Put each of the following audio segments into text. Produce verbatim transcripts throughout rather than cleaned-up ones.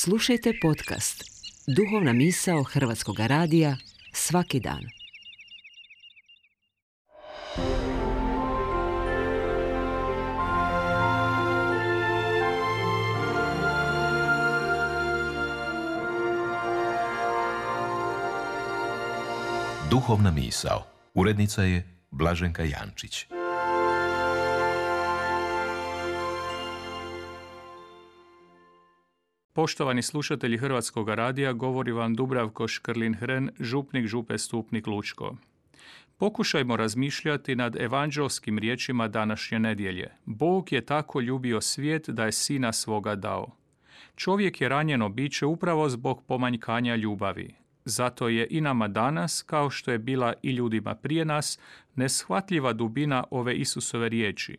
Slušajte podcast Duhovna misao Hrvatskog radija svaki dan. Duhovna misao. Urednica je Blaženka Jančić. Poštovani slušatelji Hrvatskog radija, govori vam Dubravko Škrlin-Hren, župnik Župe Stupnik Lučko. Pokušajmo razmišljati nad evanđelskim riječima današnje nedjelje. Bog je tako ljubio svijet da je sina svoga dao. Čovjek je ranjeno biće upravo zbog pomanjkanja ljubavi. Zato je i nama danas, kao što je bila i ljudima prije nas, neshvatljiva dubina ove Isusove riječi.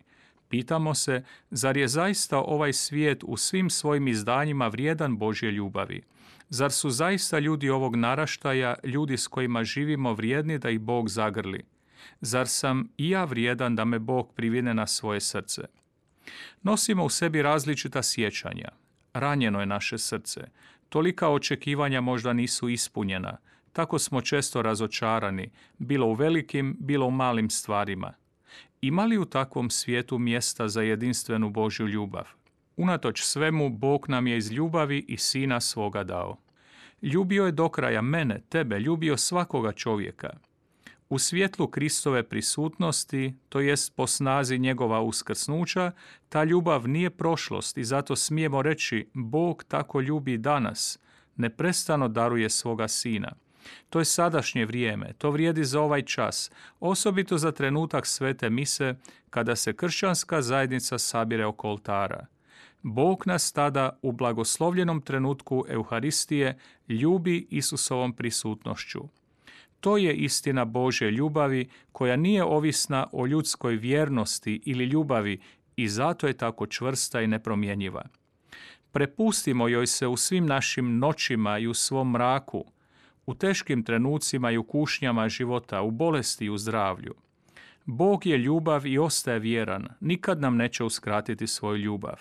Pitamo se, zar je zaista ovaj svijet u svim svojim izdanjima vrijedan Božje ljubavi? Zar su zaista ljudi ovog naraštaja, ljudi s kojima živimo, vrijedni da ih Bog zagrli? Zar sam i ja vrijedan da me Bog privine na svoje srce? Nosimo u sebi različita sjećanja. Ranjeno je naše srce. Tolika očekivanja možda nisu ispunjena. Tako smo često razočarani, bilo u velikim, bilo u malim stvarima. Ima li u takvom svijetu mjesta za jedinstvenu Božju ljubav? Unatoč svemu, Bog nam je iz ljubavi i sina svoga dao. Ljubio je do kraja mene, tebe, ljubio svakoga čovjeka. U svjetlu Kristove prisutnosti, to jest po snazi njegova uskrsnuća, ta ljubav nije prošlost i zato smijemo reći Bog tako ljubi danas, neprestano daruje svoga sina. To je sadašnje vrijeme, to vrijedi za ovaj čas, osobito za trenutak svete mise kada se kršćanska zajednica sabire oko oltara. Bog nas tada u blagoslovljenom trenutku Euharistije ljubi Isusovom prisutnošću. To je istina Božje ljubavi koja nije ovisna o ljudskoj vjernosti ili ljubavi i zato je tako čvrsta i nepromjenjiva. Prepustimo joj se u svim našim noćima i u svom mraku, u teškim trenucima i u kušnjama života, u bolesti i u zdravlju. Bog je ljubav i ostaje vjeran, nikad nam neće uskratiti svoju ljubav.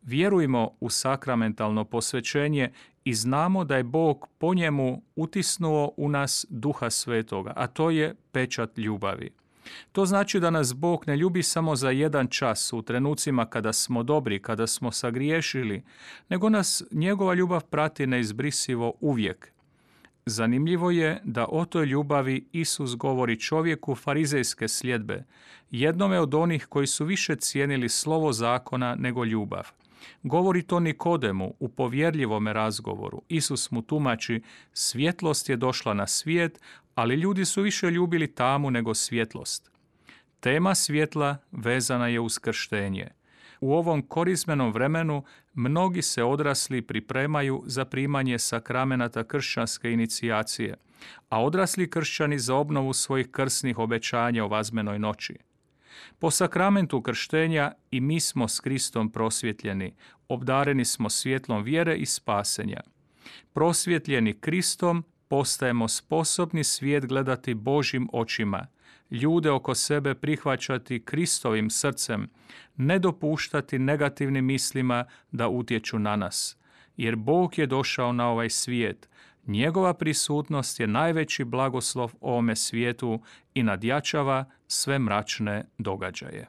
Vjerujmo u sakramentalno posvećenje i znamo da je Bog po njemu utisnuo u nas Duha Svetoga, a to je pečat ljubavi. To znači da nas Bog ne ljubi samo za jedan čas, u trenucima kada smo dobri, kada smo sagriješili, nego nas njegova ljubav prati neizbrisivo uvijek. Zanimljivo je da o toj ljubavi Isus govori čovjeku farizejske sljedbe, jednome od onih koji su više cijenili slovo zakona nego ljubav. Govori to Nikodemu u povjerljivome razgovoru. Isus mu tumači, svjetlost je došla na svijet, ali ljudi su više ljubili tamu nego svjetlost. Tema svjetla vezana je uz krštenje. U ovom korizmenom vremenu mnogi se odrasli pripremaju za primanje sakramenata kršćanske inicijacije, a odrasli kršćani za obnovu svojih krsnih obećanja o vazmenoj noći. Po sakramentu krštenja i mi smo s Kristom prosvjetljeni, obdareni smo svjetlom vjere i spasenja. Prosvjetljeni Kristom postajemo sposobni svijet gledati Božjim očima, ljude oko sebe prihvaćati Kristovim srcem, ne dopuštati negativnim mislima da utječu na nas. Jer Bog je došao na ovaj svijet, njegova prisutnost je najveći blagoslov ovome svijetu i nadjačava sve mračne događaje.